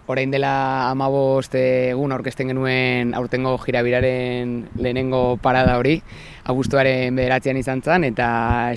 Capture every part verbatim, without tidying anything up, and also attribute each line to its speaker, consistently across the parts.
Speaker 1: orain dela hamabost egun aurkezten genuen aurtengo jirabiraren lehenengo parada hori, abuztuaren bederatzian izan zen, eta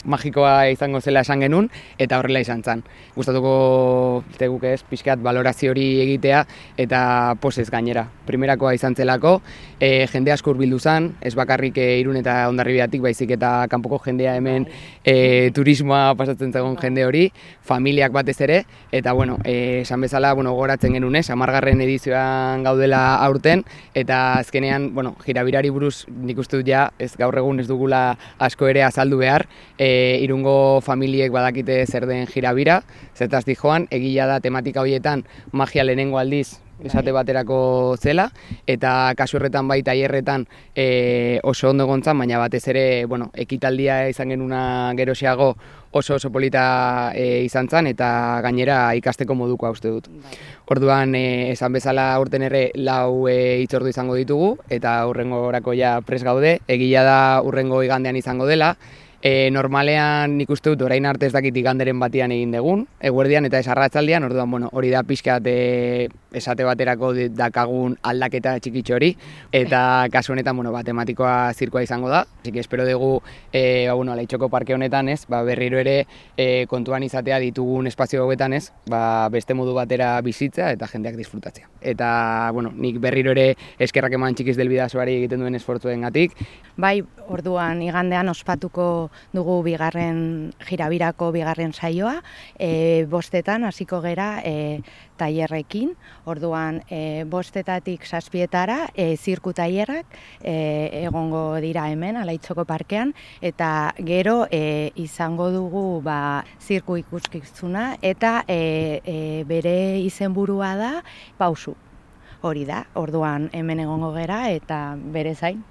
Speaker 1: magikoa izango zela esan genuen, eta horrela izan zen. Gustatuko teguk ez, pixkat balorazio hori egitea, eta posez gainera. Primerakoa izan zelako, e, jende asko hurbildu zen, ez bakarrik e, Irun eta Hondarribiatik, baizik eta kanpoko jendea hemen e, turismoa pasatzen zagon jende hori, familiak batez ere, eta bueno, e, esan bezala, bueno, goratzen genuen ez, hamargarren edizioan gaudela aurten, eta azkenean, bueno, jirabirari buruz nik uste dut ja, ez gaur egun ez dugula asko ere azaldu behar, e, Irungo familiek badakite zer den jirabira, zertaz dijoan, egia da tematika horietan magia lehenengo aldiz esate baterako zela, eta kasu horretan bai tailerretan e, oso ondo gontzan, baina batez ere, bueno, ekitaldia izan genuna geroxeago oso oso polita e, izan zen, eta gainera ikasteko modukoa uste dut. Orduan, e, esan bezala aurten ere lau e, hitzordu izango ditugu, eta hurrengo orako ja pres gaude, egia da hurrengo igandean izango dela. E, normalean nik uste dut orain arte ez dakit iganderen batian egin dugun, eguerdian eta ez arratzaldian, orduan bueno, hori da pixkat e, esate baterako dakagun aldaketa txikitxo hori, eta kasu honetan bueno, ba, tematikoa zirkoa izango da, así que espero dugu e, ba, bueno, Leitxoko parke honetan ez, ba, berriro ere e, kontuan izatea ditugun espazio hauetan ez, ba, beste modu batera bizitza eta jendeak disfrutatzea. Eta bueno, nik berriro ere eskerrak eman Txikiz del Bidasoari egiten duen esfortzuengatik.
Speaker 2: Bai, orduan igandean ospatuko dugu bigarren jirabirako bigarren saioa, e, bostetan hasiko gera e, tailerrekin, orduan e, bostetatik zazpietara e, zirku tailerrak e, egongo dira hemen Alaitzoko parkean, eta gero e, izango dugu ba, zirku ikuskizuna, eta e, e, bere izenburua da pausu. Hori da, orduan hemen egongo gera eta bere zain.